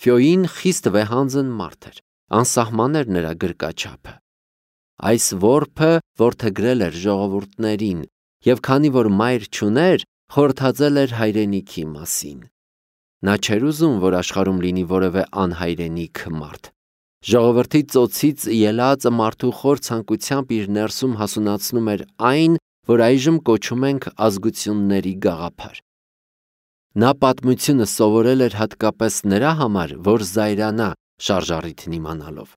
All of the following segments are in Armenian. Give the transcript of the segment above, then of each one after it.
Ֆյոյին խիստ վեհանձն մարդ էր, անսահման էր նրա գրկաչափը։ Այս որբը որդեգրել էր ժողովուրդներին և քանի որ մայր չուներ, խորհրդածել էր հայրենիքի մասին։ Նա չէր ուզում, որ աշխարհում լինի որևէ անհայրենիք մարդ։ Ժողովրդի ծոցից ելած մարդու խոր ցանկությամբ իր ներսում հասունացնում էր այն, որ այժմ կոչում ենք ազգությունների գաղափար։ Նա պատմությունը սովորել էր հատկապես նրա համար, որ զայրանա շարժառիթն իմանալով։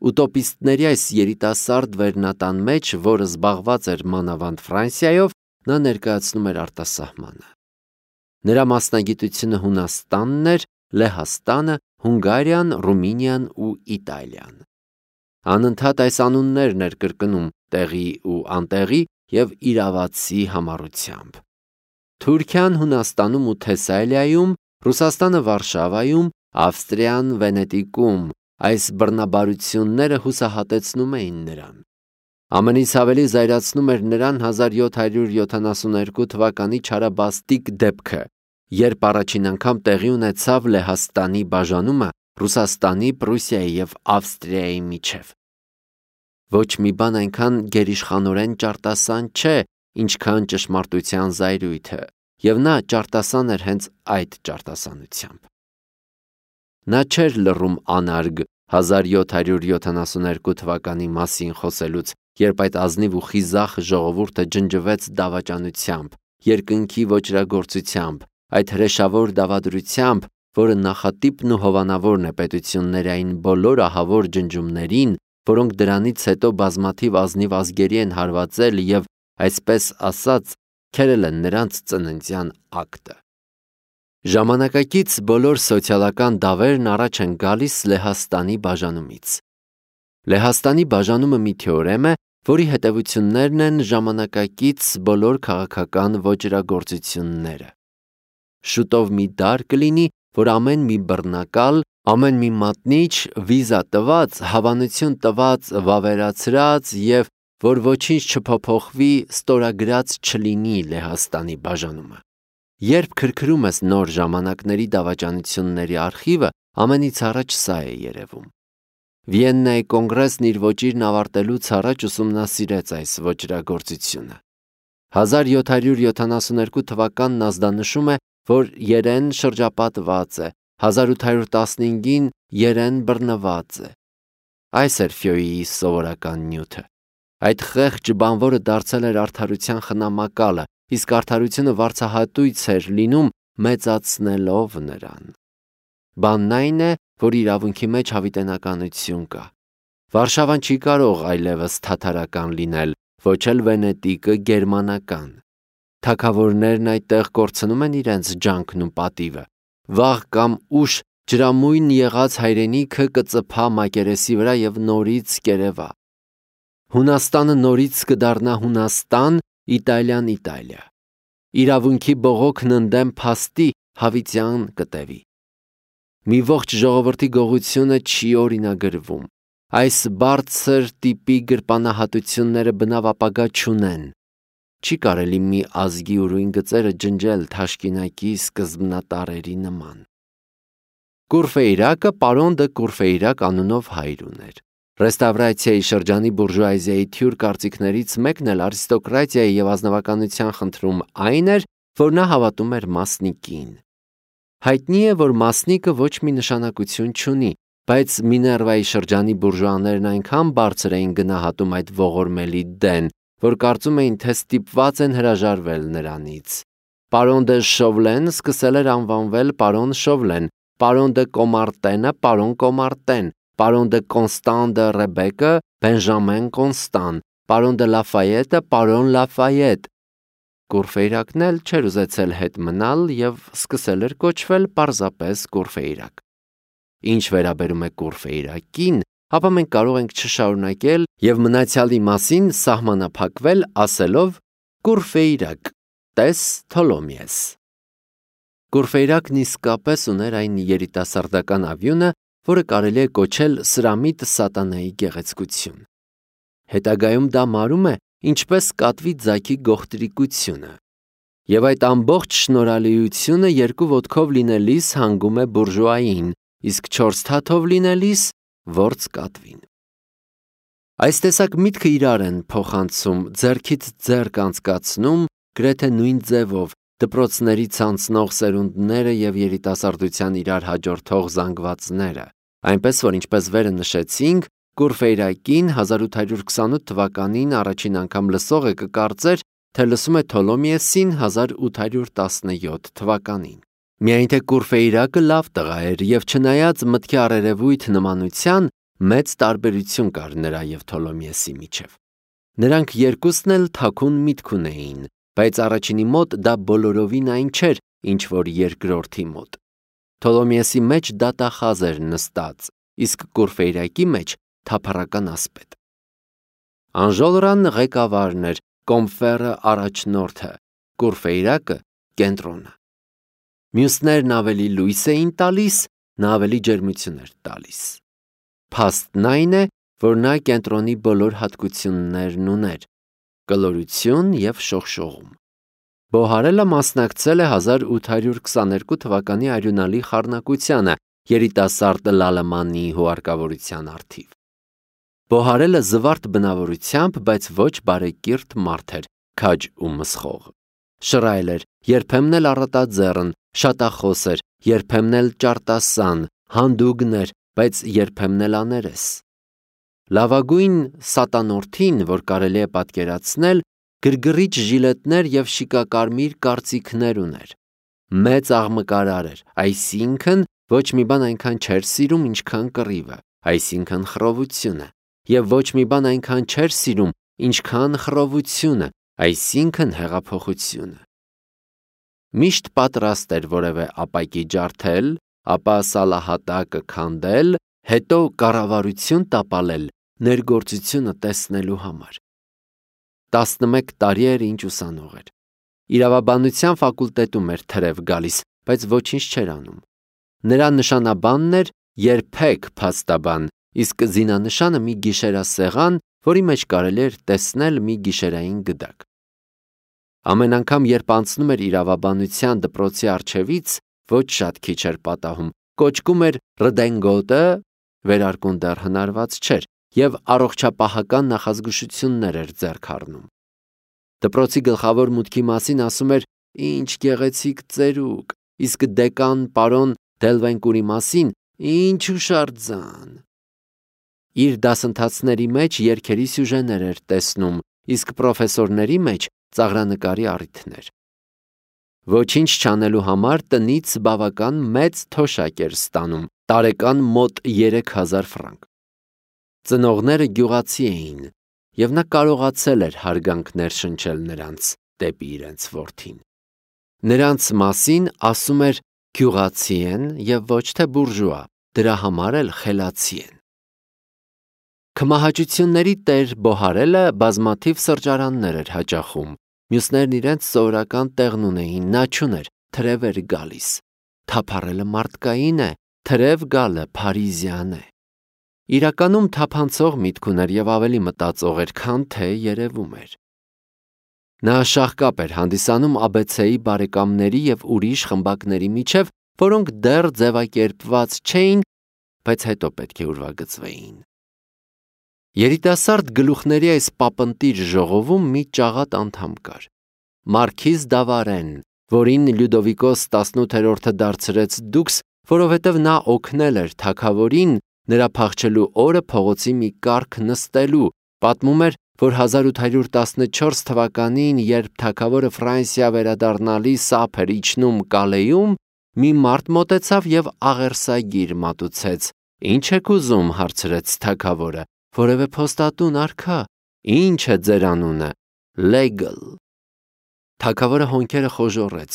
Ուտոպիստների այս երիտասարդ վերնատան մեջ, որը զբաղված էր մանավանդ Ֆրանսիայով, նա ներկայացնում էր արտասահմանը։ Նրա մասնագիտությունը Հունաստանն էր, Լեհաստանը, Հունգարիան, Ռումինիան ու Իտալիան։ Անընդհատ այս անուններն էր կրկնում տեղի ու անտեղի և իրավացի համառությամբ։ Թուրքիան Հունաստանում ու Թեսալիայում, Ռուսաստանը Վարշավայում, Ավստրիան Վենետիկում այս բռնաբարությունները հուսահատեցնում էին նրան։ Ամենից ավելի զայրացնում էր նրան 1772 թվականի չարաբաստիկ դեպքը, երբ առաջին անգամ տեղի ունեցավ Լեհաստանի բաժանումը Ռուսաստանի, Պրուսիայի և Ավստրիայի միջև։ Ոչ մի բան այնքան գերիշխանորեն ճարտասան չէ, ինչքան ճշմարտության զայրույթը, և նա ճարտասան էր հենց այդ ճարտասանությամբ։ Նա չէր լռում անարգ 1772 թվականի մասին խոսելուց, երբ այդ ազնիվ ու խիզախ ժողովուրդը ջնջվեց դավաճանությամբ, երկնքի ոճրագործությամբ, այդ հրեշավոր դավադրությամբ, որը նախատիպն ու հովանավորն է պետությունների այն բոլոր ահավոր ջնջումներին, որոնք դրանից հետո բազմաթիվ ազնիվ ազգերի են հարվածել և, այսպես ասած, քերել են նրանց ծննդյան ակտը։ Ժամանակակից բոլոր սոցիալական դավերն առաջ են գալիս Լեհաստանի բաժանումից։ Լեհաստանի բաժանումը մի թեորեմ է, որի հետևություններն են ժամանակակից բոլոր քաղաքական ոճրագործությունները։ Շուտով մի դար կլինի, որ ամեն մի բռնակալ, ամեն մի մատնիչ, վիզա տված, հավանություն տված, վավերացրած և որ ոչինչ չփոփոխվի, ստորագրած չլինի Լեհաստանի բաժանումը։ Երբ քրքրում ես նոր ժամանակների դավաճանությունների արխիվը, ամենից առաջ սա է երևում։ Վիեննայի կոնգրեսն իր ոճիրն ավարտելուց առաջ ուսումնասիրեց այս ոճրագործությունը։ 1772 թվականն ազդանշում է, որ Երեն շրջապատված է, 1815-ին Երեն բռնված է։ Այս էր Ֆյոյիի սովորական նյութը։ Այդ խեղճ բանվորը դարձել էր արդարության խնամակալը, իսկ արդարությունը վարձահատույց էր լինում մեծացնելով նրան։ Բանն այն է, որ իրավունքի մեջ հավիտենականություն կա։ Վարշավան չի կարող այլևս թաթարական լինել, ոչ էլ Վենետիկը գերմանական։ Թագավորներն այդտեղ կորցնում են իրենց ջանքն ու պատիվը։ Վաղ կամ ուշ ջրամույն եղած հայրենիքը կծփա մակերեսի վրա և նորից կերևա։ Հունաստանը նորից կդառնա Հունաստան, Իտալիան Իտալիա։ Իրավունքի բողոքն ընդդեմ փաստի հավիտյան կտևի։ Մի ողջ ժողովրդի գողությունը չի օրինագրվում։ Այս բարձր տիպի գրպանահատությունները բնավ ապագա չունեն։ Չի կարելի մի ազգի ուրույն գծերը ջնջել թաշկինակի սկզբնատարերի նման։ Կուրֆեյրակը պարոն դը Կուրֆեյրակ անունով հայր ուներ։ Ռեստավրացիայի շրջանի բուրժուազիայի թյուր կարծիքներից մեկն էլ արիստոկրատիայի և ազնվականության խնդրում այն էր, որ նա հավատում էր մասնիկին։ Հայտնի է, որ մասնիկը ոչ մի նշանակություն չունի, բայց Միներվայի շրջանի բուրժուաներն այնքան բարձր էին գնահատում այդ ողորմելի դեն, որ կարծում էին, թե ստիպված են հրաժարվել նրանից։ Պարոն դե Շովլեն սկսել էր անվանվել պարոն Շովլեն, պարոն դե Կոմարտենը պարոն Կոմարտեն, պարոն դե Կոնստան դե Ռեբեկը Բենժամեն Կոնստան, պարոն դե Լաֆայետը պարոն Լաֆայետ։ Կուրֆեյրակն էլ չէր ուզեցել հետ մնալ և սկսել էր կոչվել պարզապես Կուրֆեյրակ։ Ինչ վերաբերում է Կուրֆեյրակին, ապա մենք կարող ենք չշարունակել և մնացյալի մասին սահմանափակվել ասելով Կուրֆեյրակ, տես Թոլոմիես։ Կուրֆեյրակն իսկապես ուներ այն երիտասարդական ավյունը, որը կարելի է կոչել սրամիտ սատանայի գեղեցկություն։ Հետագայում դա մարում է ինչպես կատվի ձագի գողտրիկությունը։ Եվ այդ ամբողջ շնորհալիությունը երկու ոտքով լինելիս հանգում է բուրժուային, իսկ 4 թաթով լինելիս որց կատվին։ Այս տեսակ միտքը իրար են փոխանցում, ձեռքից ձեռք անցկացնում, գրեթե նույն ձևով դպրոցներից անցնող սերունդները եւ երիտասարդության իրար հաջորդող զանգվածները, այնպես որ ինչպես վերը նշեցինք, Կուրֆեյրակին 1828 թվականին առաջին անգամ լսողը կկարծեր, թե լսում է Թոլոմիեսին 1817 թվականին։ Միայն թե Կուրֆեյրակը լավ տղա էր եւ չնայած մտքի առերևույթ նմանության, մեծ տարբերություն կար նրա եւ Թոլոմիեսի միջև։ Նրանք երկուսն էլ թաքուն միտք ունեին, բայց առաջինի մոտ դա բոլորովին այն չէր, ինչ որ երկրորդի մոտ։ Թոլոմիեսի մեջ դատախազ էր նստած, իսկ Կուրֆեյրակի մեջ թափառական ասպետ։ Անժոլրան ղեկավարն էր, Կոմֆերը առաջնորդը, Կուրֆեյրակը կենտրոնը։ Մյուսներն ավելի լույս էին տալիս, նա ավելի ջերմություն էր տալիս։ Փաստն այն է, որ նա կենտրոնի բոլոր հատկություններն ուներ՝ կլորություն եւ շողշողում։ Բոհարելը մասնակցել է 1822 թվականի արյունալի խառնակությանը երիտասարդ Լալեմանի հուարկավորության առթիվ։ Բոհարելը զվարթ բնավորությամբ, բայց ոչ բարեկիրթ մարդ էր, քաջ ու մսխող։ Շռայլ էր, երբեմն էլ առատաձեռն, շատախոս էր, երբեմն էլ ճարտասան, հանդուգն էր, բայց երբեմն էլ աներես։ Լավագույն սատանորդին, որ կարելի է պատկերացնել, գրգռիչ ժիլետներ եւ շիկակարմիր կարծիքներ ուներ։ Մեծ աղմկարար էր, այսինքն ոչ մի բան այնքան չէր սիրում, ինչքան կռիվը, այսինքն խռովությունը, եւ ոչ մի բան այնքան չէր սիրում, ինչքան խռովությունը, այսինքն հեղափոխությունը։ Միշտ պատրաստ էր որևէ ապակի ջարդել, ապա սալահատակը քանդել, հետո կառավարություն տապալել ներգործությունը տեսնելու համար։ 11 տարի էր ինչ ուսանող էր։ Իրավաբանության ֆակուլտետում էր թրև գալիս, բայց ոչինչ չէր անում։ Նրա նշանաբանն էր երբեք փաստաբան, իսկ զինանշանը մի գիշերասեղան, որի մեջ կարելի էր տեսնել մի գիշերային գդակ։ Ամեն անգամ, երբ անցնում էր իրավաբանության դպրոցի առջևից, ոչ շատ քիչ էր պատահում, կոչկում էր ռդենգոտը, վերարկուն դեռ հնարված չէր, եւ առողջապահական նախազգուշություններ էր ձեռք առնում։ Դպրոցի գլխավոր մուտքի մասին ասում էր. «Ինչ գեղեցիկ ծերուկ», իսկ դեկան պարոն Դելվենկուրի մասին «Ինչ հուշարձան»։ Իր դասընթացների մեջ երգերի սյուժեներ էր տեսնում, իսկ պրոֆեսորների մեջ ծաղրանկարի առիթներ։ Ոչինչ չանելու համար տնից բավական մեծ թոշակ էր ստանում, տարեկան մոտ 3000 ֆրանկ։ Ծնողները գյուղացի էին, եւ նա կարողացել էր հարգանքներ շնչել նրանց դեպի իրենց որդին։ Նրանց մասին ասում էր գյուղացի են եւ ոչ թե բուրժուա, դրա համար էլ խելացի են։ Քմահաճությունների տեր Բոհարելը բազմաթիվ սրճարաններ էր հաճախում, մյուսներն իրենց սովորական տեղն ունեին, նա չուներ, թրև էր գալիս։ Թափառելը մարդկային է, թրև գալը փարիզյան է։ Իրականում թափանցող միտք ուներ եւ ավելի մտածող էր, քան թե երևում էր։ Նա շաղկապ էր հանդիսանում ABC-ի բարեկամների եւ ուրիշ խմբակների միջև, որոնք դեռ ձևակերպված չէին, բայց հետո պետք է ուրվագծվեին։ Երիտասարդ գլուխների այս պապնտիր ժողովում մի ճաղատ անդամ կար։ Մարքիզ Դավարեն, որին Լյուդովիկոս 18-րդը դարձրեց դուքս, որովհետև նա օգնել էր թագավորին նրա փախչելու օրը փողոցի մի կառք նստելու, պատմում էր, որ 1814 թվականին, երբ թագավորը Ֆրանսիա վերադառնալիս ափ էր իջնում Կալեյում, մի մարդ մոտեցավ եւ աղերսագիր մատուցեց։ «Ինչ եք ուզում», հարցրեց թագավորը։ «Որևէ փոստատուն արքա»։ «Ինչ է ձեր անունը»։ «Լեգլ»։ Թագավորը հոնքերը խոժոռեց,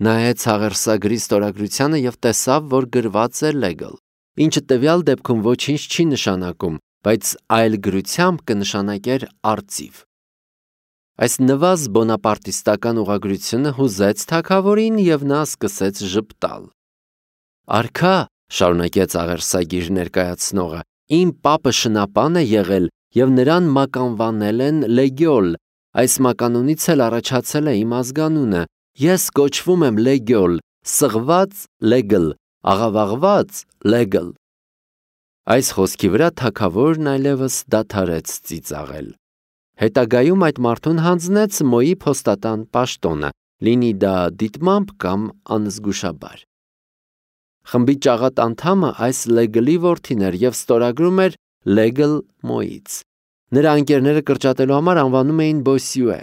նայեց աղերսագրի ստորագրությանը եւ տեսավ, որ գրված է Լեգլ, ինչը տվյալ դեպքում ոչինչ չի նշանակում, բայց այլ գրությամբ կնշանակեր արծիվ։ Այս նվազ բոնապարտիստական ուղղագրությունը հուզեց թագավորին եւ նա սկսեց ժպտալ։ «Արքա», շարունակեց աղերսագիր ներկայացնողը, «իմ պապը շնապան է եղել եւ նրան մականվանել են Լեգյոլ, այս մականունից էլ առաջացել է իմ ազգանունը, ես կոչվում եմ Լեգյոլ, սղված Լեգլ, աղավաղված լեգլ։ Այս խոսքի վրա թագավորն այլևս դադարեց ծիծաղել։ Հետագայում այդ մարդուն հանձնեց Մոյի փոստատան պաշտոնը, լինի դա դիտմամբ կամ անզգուշաբար։ Խմբի ճաղատ անդամը այս լեգլի որդին էր և ստորագրում էր լեգլ Մոյից։ Նրա ընկերները կրճատելու համար անվանում էին Բոսյուե։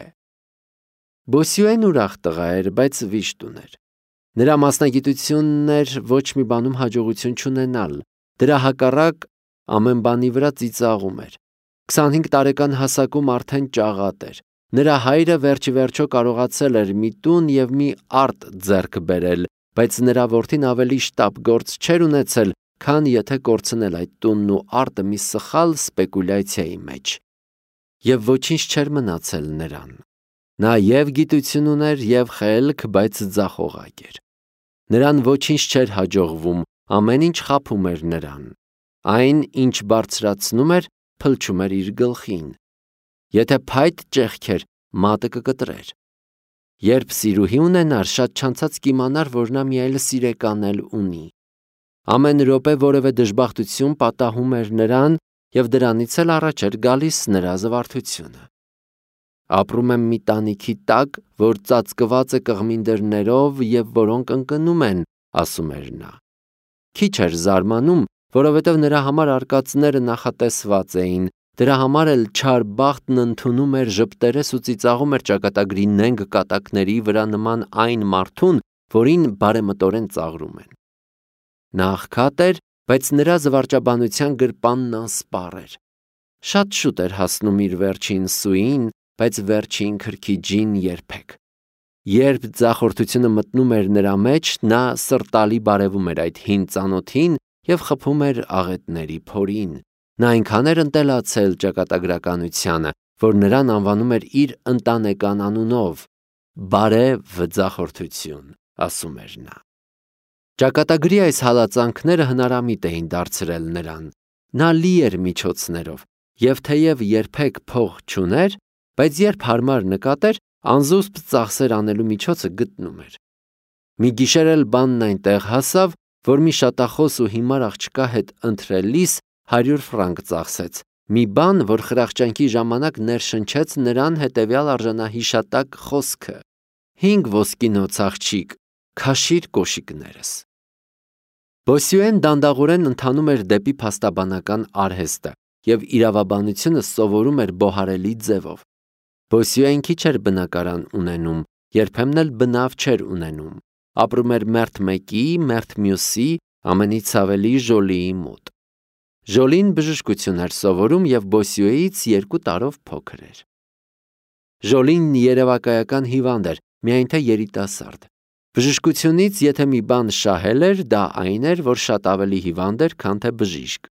Բոսյուեն ուրախ տղա էր, բայց վիշտ ուներ։ Նրա մասնագիտությունն էր ոչ մի բանում հաջողություն չունենալ, դրա հակառակ ամեն բանի վրա ծիծաղում էր։ 25 տարեկան հասակում արդեն ճաղատ էր։ Նրա հայրը վերջիվերջո կարողացել էր մի տուն և մի արտ ձեռք բերել, բայց նրա որդին ավելի շտապ գործ չէր ունեցել, քան եթե կորցնել այդ տունն ու արտը մի սխալ սպեկուլյացիայի մեջ։ Եվ ոչինչ չէր մնացել նրան։ Նա և գիտություն ուներ, և խելք, բայց ձախողակ էր։ Նրան ոչինչ չէր հաջողվում, ամեն ինչ խաբում էր նրան։ Այն, ինչ բարձրացնում էր, փլչում էր իր գլխին։ Եթե փայտ ճեղքեր, մատը կկտրեր։ Երբ սիրուհի ունենար, շատ չանցած կիմանար, որ նա մի այլ սիրեկան էլ ունի։ Ամեն րոպե որևէ դժբախտություն պատահում էր նրան, և դրանից էլ առաջ էր գալիս նրա զվարթությունը։ Ապրում եմ մի տանիքի տակ, որ ծածկված է կղմինդրներով և որոնք ընկնում են, ասում էր նա։ Քիչ էր զարմանում, որովհետև նրա համար արկածները նախատեսված էին, դրա համար էլ չար բախտն ընդունում էր ժպտերես ու ծիծաղում էր ճակատագրի նենգ կատակների վրա նման այն մարդուն, որին բարեմտորեն ծաղրում են։ Նա աղքատ էր, բայց նրա զվարճաբանության գրպանն անսպառ էր։ Շատ շուտ էր հասնում իր վերջին սուին, բայց վերջին քրքիջին երբեք։ Երբ ձախորդությունը մտնում էր նրա մեջ, նա սրտալի բարևում էր այդ հին ծանոթին և խփում էր աղետների փորին։ Նա այնքան էր ընտելացել ճակատագրականությանը, որ նրան անվանում էր իր ընտանեկան անունով՝ բարև ձախորդություն, ասում էր նա։ Ճակատագրի այս հալածանքները հնարամիտ էին դարձրել նրան։ Նա լի էր միջոցներով, և թեև երբեք փող չուներ, բայց երբ հարմար նկատեր, անզուսպ ծախսեր անելու միջոցը գտնում էր։ Մի գիշեր էլ բանն այնտեղ հասավ, որ մի շատախոս ու հիմար աղջկա հետ ընթրելիս 100 ֆրանկ ծախսեց, մի բան, որ խրախճանքի ժամանակ ներշնչեց նրան հետևյալ արժանահիշատակ խոսքը. 5 ոսկինոց աղջիկ, քաշիր կոշիկներս։ Բոսյուեն դանդաղորեն ընթանում էր դեպի փաստաբանական արհեստը և իրավաբանությունը սովորում էր բոհարելի ձևով։ Բոսյուեն քիչ էր բնակարան ունենում, երբեմն էլ բնավ չէր ունենում։ Ապրում էր մերթ մեկի, մերթ մյուսի, ամենից ավելի Ժոլիի մոտ։ Ժոլին բժշկություն էր սովորում և Բոսյուեից 2 տարով փոքր էր։ Ժոլին երևակայական հիվանդ էր, միայն թե երիտասարդ։ Բժշկությունից եթե մի բան շահել էր, դա այն էր, որ շատ ավելի հիվանդ էր, քան թե բժիշկ։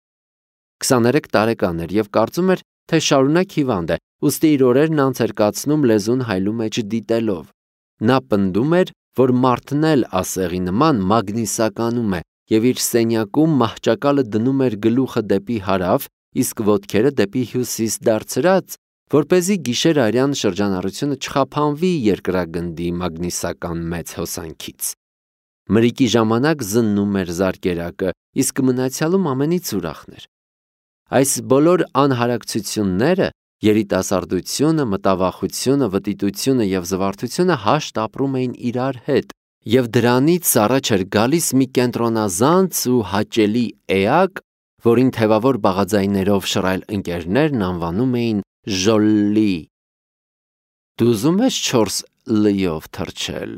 23 տարեկան էր և կարծում էր, թե շարունակ հիվանդ է, ուստի իր օրերն անց էր կացնում լեզուն հայլու մեջ դիտելով։ Նա պնդում էր, որ մարդն էլ ասեղի նման մագնիսականում է և իր սենյակում մահճակալը դնում էր գլուխը դեպի հարավ, իսկ ոտքերը դեպի հյուսիս դարձրած, որպեսզի գիշեր-արյան շրջանառությունը չխափանվի երկրագնդի մագնիսական մեծ հոսանքից։ Մրիկի ժամանակ զննում էր զարկերակը, իսկ մնացյալում ամենից ուրախն էր։ Այս բոլոր անհարակցությունները, երիտասարդությունը, մտավախությունը, վտիտությունը և զվարթությունը հաշտ ապրում էին իրար հետ, և դրանից առաջ էր գալիս մի կենտրոնազանց ու հաճելի էակ, որին թևավոր բաղաձայներով շռայլ ընկերներն անվանում էին Ժոլլի։ Դու ուզում ես 4 լյով թռչել,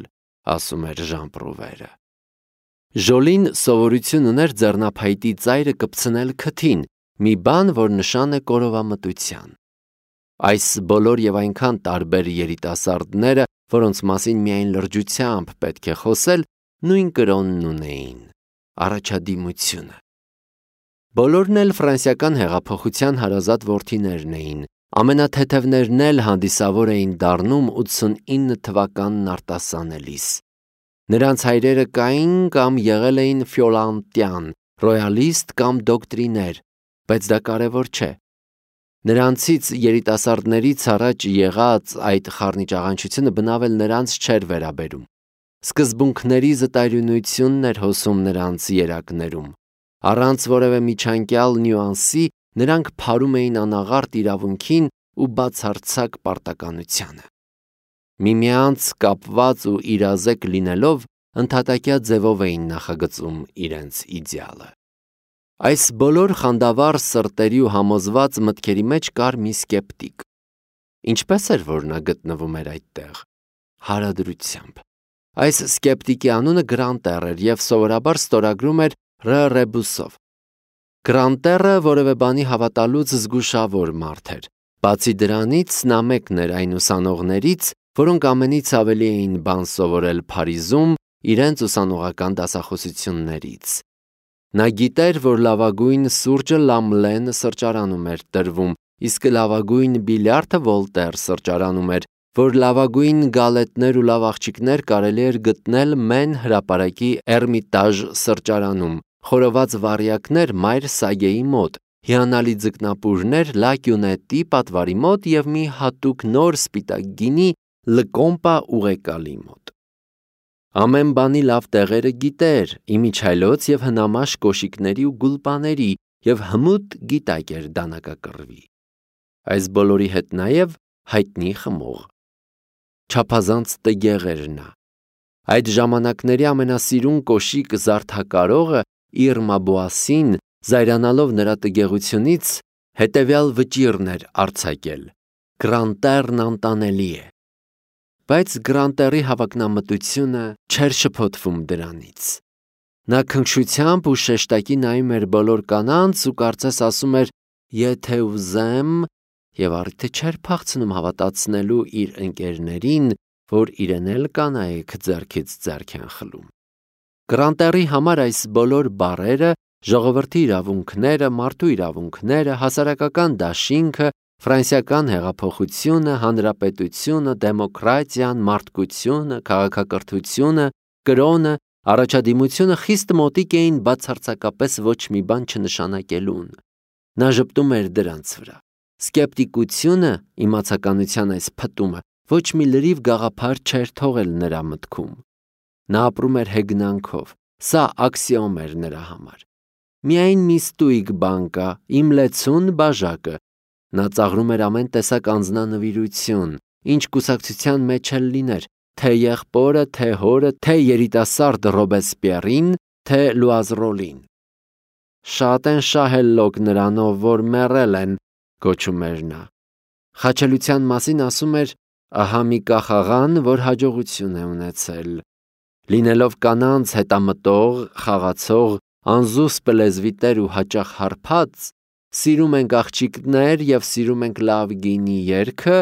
ասում էր Ժան-Պրուվերը։ Ժոլին սովորություն ուներ ձեռնափայտի ծայրը կպցնել քթին, մի բան, որ նշան է կորովամտության։ Այս բոլոր և այնքան տարբեր երիտասարդները, որոնց մասին միայն լրջությամբ պետք է խոսել, նույն կրոնն ունեին՝ առաջադիմությունը։ Բոլորն էլ ֆրանսիական հեղափոխության հարազատ որդիներն էին, ամենաթեթևներն էլ հանդիսավոր էին դառնում 89 թվականն արտասանելիս։ Նրանց հայրերը կային կամ եղել էին ֆյոլանտյան, ռոյալիստ կամ դոկտրիներ, բայց դա կարևոր չէ։ Նրանցից երիտասարդներից առաջ եղած այդ խառնիճաղանչությունը բնավ էլ նրանց չէր վերաբերում։ սկզբունքների զտայրունությունն էր հոսում նրանց երակներում։ Առանց որևէ միջանկյալ նյուանսի նրանք փարում էին անաղարտ իրավունքին ու բացարձակ պարտականությանը։ Միմյանց կապված ու իրազեկ լինելով ընդհատակյա ձևով էին նախագծում իրենց իդեալը։ Այս բոլոր խանդավառ սրտերի ու համոզված մտքերի մեջ կար մի սկեպտիկ։ Ինչպես էր, որ նա գտնվում էր այդտեղ։ Հարադրությամբ։ Այս սկեպտիկի անունը Գրանտեր էր և սովորաբար ստորագրում էր Ռ. Ռեբուսով։ Գրանտերը որևէ բանի հավատալուց զգուշավոր մարդ էր։ Բացի դրանից, նա մեկն էր այն ուսանողներից, որոնք ամենից ավելի էին բան սովորել Փարիզում իրենց ուսանողական դասախոսություններից։ Նա գիտեր, որ լավագույն սուրճը Լամլեն սրճարանում էր տրվում, իսկ լավագույն բիլիարդը Վոլտեր սրճարանում էր, որ լավագույն գալետներ ու լավ աղջիկներ կարելի էր գտնել Մեն հրապարակի Էրմիտաժ սրճարանում, խորոված վառյակներ Մայր Սագեի մոտ, հիանալի ձկնապուրներ Լա Կյունետի պատվարի մոտ և մի հատուկ նոր սպիտակ գինի Լկոմպա ուղեկալի մոտ։ Ամեն բանի լավ տեղերը գիտեր, իմիջիայլոց և հնամաշ կոշիկների ու գուլպաների և հմուտ գիտակ էր դանակակռվի։ Այս բոլորի հետ նաև հայտնի խմող։ Չափազանց տգեղ էր նա։ Այդ ժամանակների ամենասիրուն կոշիկ զարդակարողը Իրմա Բոասին, զայրանալով նրա տգեղությունից, հետևյալ վճիռն էր արձակել. Գրանտերն անտանելի է։ Բայց Գրանտերի հավակնամտությունը չէր շփոթվում դրանից։ Նա քնքշությամբ ու շեշտակի նայում էր բոլոր կանանց ու կարծես ասում էր. «Եթե ուզեմ», և առիթը չէր փախցնում հավատացնելու իր ընկերներին, որ իրեն էլ կանայք ձեռքից ձեռք են խլում։ Գրանտերի համար այս բոլոր բառերը, ժողովրդի իրավունքները, մարդու իրավունքները, հասարակական դաշինքը, ֆրանսիական հեղափոխությունը, հանրապետությունը, դեմոկրատիան, մարդկությունը, քաղաքակրթությունը, կրոնը, առաջադիմությունը խիստ մոտիկ էին բացարձակապես ոչ մի բան չնշանակելուն։ Նա ժպտում էր դրանց վրա։ Սկեպտիկությունը, իմացականության այս փտումը, ոչ մի լրիվ գաղափար չէր թողել նրա մտքում։ Նա ապրում էր հեգնանքով, սա աքսիոմ էր նրա համար։ Միայն մի ստույգ բան կա՝ իմ լեցուն բաժակը։ Նա ծաղրում էր ամեն տեսակ անձնանվիրություն, ինչ կուսակցության մեջ էլ լիներ, թե եղբորը, թե հորը, թե երիտասարդ Ռոբեսպիերին, թե Լուազրոլին։ Շատ են շահել լոկ նրանով, որ մեռել են, գոչում էր նա։ Խաչելության մասին ասում էր. ահա մի կախաղան, որ հաջողություն է ունեցել։ Լինելով կանանց հետամտող, խաղացող, անզուսպ լեզվի տեր ու հաճախ հարբած, սիրում ենք աղջիկներ և սիրում ենք լավ գինի երգը,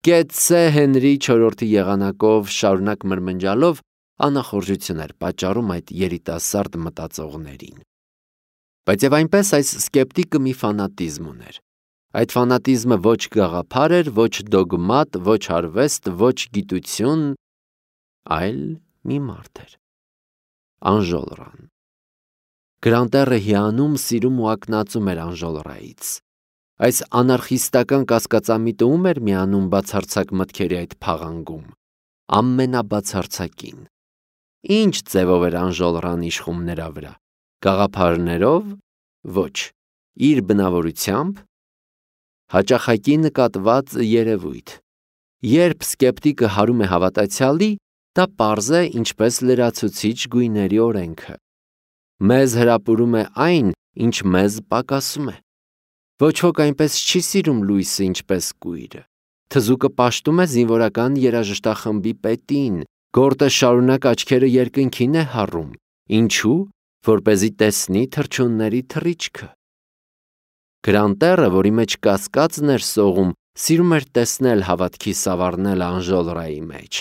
Կեցցե Հենրի IV եղանակով շարունակ մրմնջալով անախորժություն էր պատճառում այդ երիտասարդ մտածողներին։ Բայց և այնպես այս սկեպտիկը մի ֆանատիզմ ուներ։ Այդ ֆանատիզմը ոչ գաղափար էր, ոչ դոգմատ, ոչ արվեստ, ոչ գիտություն, այլ մի մարդ էր։ Անժոլրան։ Գրանտերը հիանում, սիրում ու ակնածում էր Անժոլրայից։ Այս անարխիստական կասկածամիտը ում էր միանում բացարձակ մտքերի այդ փաղանգում։ Ամենաբացարձակին։ Ինչ ձևով էր Անժոլրան իշխում նրա վրա։ Գաղափարներով։ Ոչ։ Իր բնավորությամբ։ Հաճախակի նկատված երևույթ։ Երբ սկեպտիկը հարում է հավատացյալի, դա պարզ է ինչպես լրացուցիչ գույների օրենքը։ Մեզ հրապուրում է այն, ինչ մեզ պակասում է։ Ոչ ոք այնպես չի սիրում լույսը, ինչպես կույրը։ Թզուկը պաշտում է զինվորական երաժշտախմբի պետին, գորտը շարունակ աչքերը երկնքին է հառում։ Ինչու՞, որպեսզի տեսնի թռչունների թռիչքը։ Գրանտերը, որի մեջ կասկածն էր սողում, սիրում էր տեսնել հավատքի սավառնելը Անժոլրայի մեջ։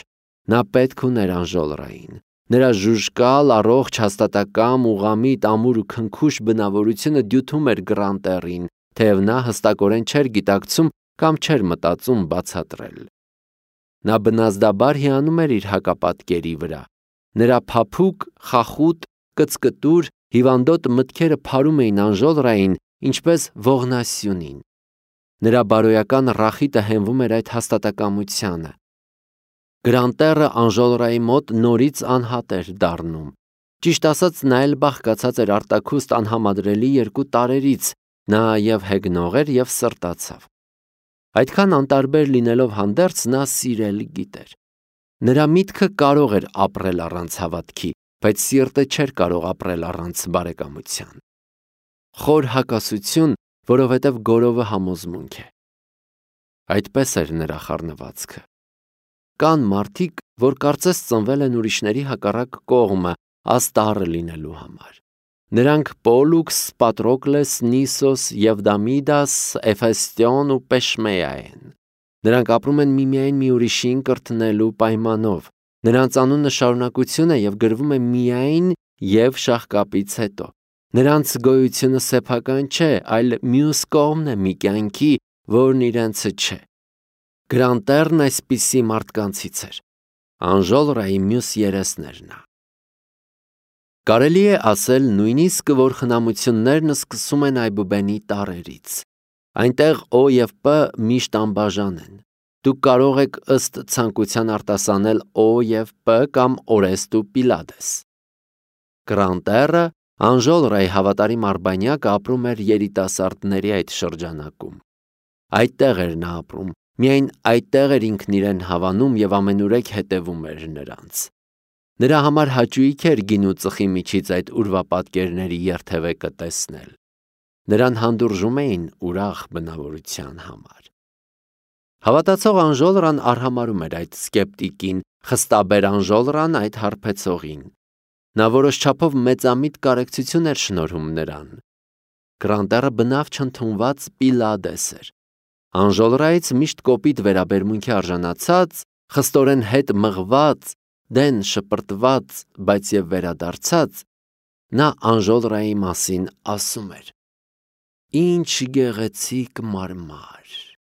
Նա պետք ուներ Անժոլրային։ Նրա ժուժկալ, առողջ, հաստատակամ, ուղղամիտ, ամուր ու քնքուշ բնավորությունը դյութում էր Գրանտերին, թեև նա հստակորեն չէր գիտակցում կամ չէր մտածում բացատրել։ Նա բնազդաբար հիանում էր իր հակապատկերի վրա։ Նրա փափուկ, խախուտ, կծկտուր, հիվանդոտ մտքերը փարում էին Անժոլրային, ինչպես ողնասյունին։ Նրա բարոյական ռախիտը հենվում էր այդ հաստատակամությանը։ Գրանտերը Անժոլրայի մոտ նորից անհատ էր դառնում։ Ճիշտ ասած, նա էլ բաղկացած էր արտաքուստ անհամադրելի երկու տարրերից, նա և հեգնող էր և սրտացավ։ Այդքան անտարբեր լինելով հանդերձ, նա սիրել գիտեր։ Նրա միտքը կարող էր ապրել առանց հավատքի, բայց սիրտը չէր կարող ապրել առանց բարեկամության։ Խոր հակասություն, որովհետև գորովը համոզմունք է։ Այդպես էր նրա խառնվածքը։ Կան մարդիկ, որ կարծես ծնվել են ուրիշների հակառակ կողմը, աստառը լինելու համար։ Նրանք Պոլուքս, Պատրոկլես, Նիսոս, Եվդամիդաս, Էֆեստիոն ու Պեշմեյա են։ Նրանք ապրում են միմիայն մի ուրիշին կրթնելու պայմանով։ Նրանց անունը շարունակություն է և գրվում է միայն և շաղկապից հետո։ Նրանց գոյությունը սեփական չէ, այլ մյուս կողմն է մի կյանքի, որն իրենցը չէ։ Գրանտերն այսպիսի մարդկանցից էր։ Անժոլրայի մյուս երեսն էր նա։ Կարելի է ասել նույնիսկ, որ խնամություններն սկսում են այբուբենի տառերից։ Այնտեղ Օ և П միշտ անբաժան են։ Դուք կարող եք ըստ ցանկության արտասանել Օ և П կամ Օրեստ ու Պիլադես։ Գրանտերը, Անժոլրայի հավատարիմ արբանյակը, ապրում էր երիտասարդների այդ շրջանակում։ Այդտեղ էր նա ապրում, միայն այդտեղ էր ինքն իրեն հավանում և ամենուրեք հետևում էր նրանց։ Նրա համար հաճույք էր գինու ծխի միջից այդ ուրվապատկերների երթևեկը տեսնել։ Նրան հանդուրժում էին ուրախ բնավորության համար։ Հավատացող Անժոլրան արհամարհում էր այդ սկեպտիկին, խստաբեր Անժոլրան այդ հարբեցողին։ Նա որոշ չափով մեծամիտ կարեկցություն էր շնորհում նրան։ Գրանտերը բնավ չընդունված Պիլադես էր։ Անժոլրայից միշտ կոպիտ վերաբերմունքի արժանացած, խստորեն հետ մղված, դեն շպրտված, բայց և վերադարձած, նա Անժոլրայի մասին ասում էր. «Ինչ գեղեցիկ մարմար»։